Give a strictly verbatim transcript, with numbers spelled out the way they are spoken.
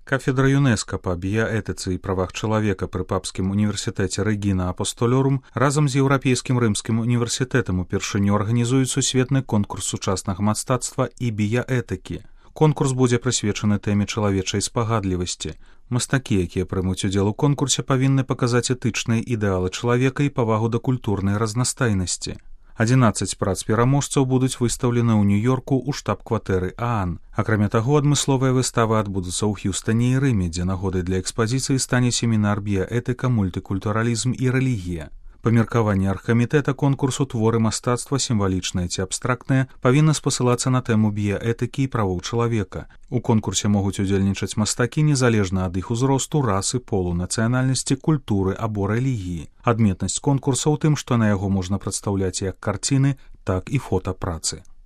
Кафедра ЮНЕСКО па біяэтыцы і правах чалавека пры папскім універсітэце Рэгіна Апостолёрум разам з Еўрапейскім рымскім універсітэтам упершыню арганізуюць сусветны конкурс сучаснага мастацтва і біяэтыкі. Конкурс будзе прысвечаны тэме чалавечай спагадлівасці. Мастакі, якія прымуць удзел у конкурсе, павінны паказаць этычныя ідэалы чалавека і павагу да культурнай разнастайнасці. адзінаццаць прац пераможцаў будуць выстаўлены ў Нью-Йорку ў штаб-кватэры ААН. Акрамя таго, адмысловыя выставы адбудуцца ў Х'юстане і Рыме, дзе нагодай для экспазіцыі стане семінар біяэтыка, мультыкультуралізм і рэлігія. Па меркаванні аргкамітэта конкурсу творы мастацтва, сімвалічныя ці абстрактныя, павінны спасылацца на тэму біяэтыкі і правоў чалавека. У конкурсе могуць удзельнічаць мастакі незалежна ад іх узросту, расы, полу, нацыянальнасці, культуры або рэлігіі. Адметнасць конкурса ў тым, што на яго можна прадстаўляць як карціны, так і фотапрацы.